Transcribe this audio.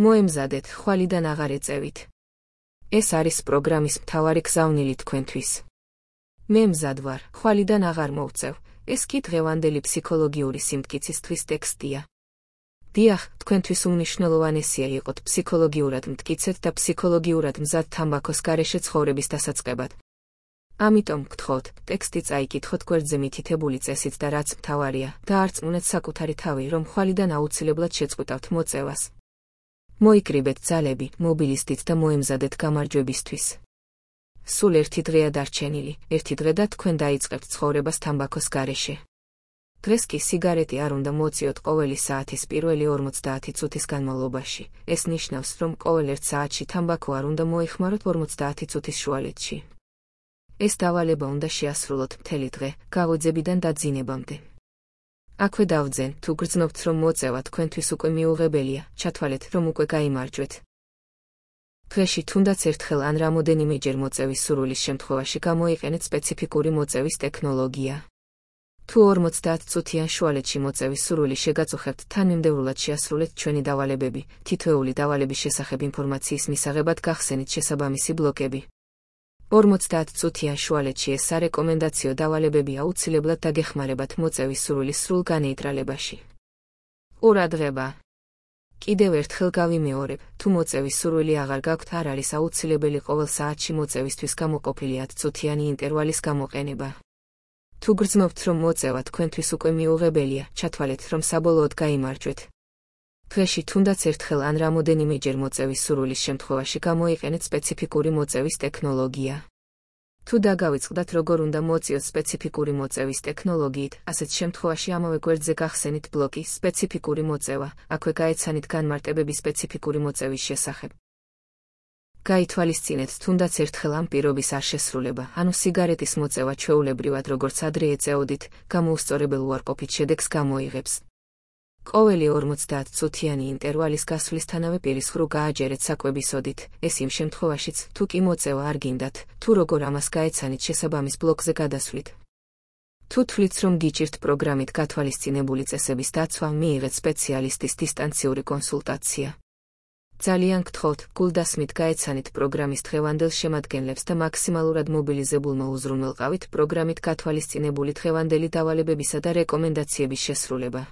მოემზადეთ, ხვალიდან აღარ ეწევით. ეს არის პროგრამის მთავარი გზავნილი თქვენთვის. მე მზად ვარ, ხვალიდან აღარ მოვწევ, ეს კი დღევანდელი ფსიქოლოგიური სიმტკიცისთვის ტექსტია. დიახ, თქვენთვის უმნიშვნელოვანესია იყოთ ფსიქოლოგიურად მტკიცეთ და ფსიქოლოგიურად მზად თამბაქოს გარეშე ცხოვრების დასაწყებად. ამიტომ გთხოვთ, ტექსტი წაიკითხოთ გვერდზე მითითებული წესით და რაც მთავარია, დაარწმუნეთ საკუთარი თავი, რომ ხვალიდან აუცილებლად შეწყვიტავთ მოწევას. მოიკრიბეთ ძალები, მობილისტით და მოემზადეთ გამარჯვებისთვის. სულ ერთი დღეა დარჩენილი, ერთი დღე და თქვენ დაიწყებთ ცხოვრებას თამბაქოს გარეშე. დღეს კი სიგარეტი არ უნდა მოწიოთ ყოველი საათის პირველი 50 წუთის განმავლობაში. ეს ნიშნავს, რომ ყოველ 1 საათში თამბაქო არ უნდა მოიხმაროთ 50 წუთის შუალედში. ეს დავალება უნდა შეასრულოთ მთელი დღე, გაღვიძებიდან დაძინებამდე. აქვე დავძენ, თუ გრძნობთ, რომ მოწევა თქვენთვის უკვე მიუღებელია, ჩათვალეთ, რომ უკვე გაიმარჯვეთ. დღეში თუნდაც ერთხელ ან რამოდენიმეჯერ მოწევის სურვილის შემთხვევაში გამოიყენეთ სპეციფიკური მოწევის ტექნოლოგია. თუ 50 წუთიან შუალედში მოწევის სურვილი შეგაწუხებთ, თანმიმდევრულად შეასრულეთ ჩვენი დავალებები, თითოეული დავალების შესახებ ინფორმაციის მისაღებად გახსენით შესაბამისი ბლოკები. 50 წუთიან შუალედში ეს სარეკომენდაციო დავალებები აუცილებლად დაგეხმარებათ მოწევის სურვილის სრულ განეიტრალებაში. ყურადღება! კიდევ ერთხელ გავიმეორებ, თუ მოწევის სურვილი აღარ გაქვთ, არ არის აუცილებელი ყოველ საათში მოწევისთვის გამოყოფილი 10 წუთიანი ინტერვალის გამოყენება. თუ გრძნობთ, რომ მოწევა თქვენთვის უკვე მიუღებელია, ჩათვალეთ, რომ საბოლოოდ გაიმარჯვეთ. დღეში თუნდაც ერთხელ ან რამოდენიმეჯერ მოწევის სურვილის შემთხვევაში გამოიყენეთ სპეციფიკური მოწევის ტექნოლოგია. თუ დაგავიწყდათ, როგორ უნდა მოწიოთ სპეციფიკური მოწევის ტექნოლოგიით, ასეთ შემთხვევაში ამავე გვერდზე გახსენით ბლოკი სპეციფიკური მოწევა, აქვე გაეცანით განმარტებები სპეციფიკური მოწევის შესახებ. გაითვალისწინეთ თუნდაც ერთხელ ამ პირობის არ შესრულება, ანუ სიგარეტის მოწევა ჩვეულებრივად როგორც ადრე ეწეოდით, გამოუსწორებელ უარყოფით შედეგს გამოიღებს. ყოველი 50 წუთიანი ინტერვალის გასვლისთანავე პირის ხვრუ გააჯერეთ საკვებისოდით, ეს იმ შემთხვევაშიც, თუ კი მოწევა არ გინდათ, თუ როგორ ამას გაეცანით შესაბამის ბლოკზე გადასვლით. თუ თვლით, რომ გიჭირთ პროგრამით გათვალისწინებული წესების დაცვა, მიიღეთ სპეციალისტის დისტანციური კონსულტაცია. ძალიან გთხოვთ, გულდასმით გაეცანით პროგრამის დღევანდელ შემადგენლებს და მაქსიმალურად მობილიზებულმა უზრუნველყავით პროგრამით გათვალისწინებული დღევანდელი დავალებებისა და რეკომენდაციების შესრულება.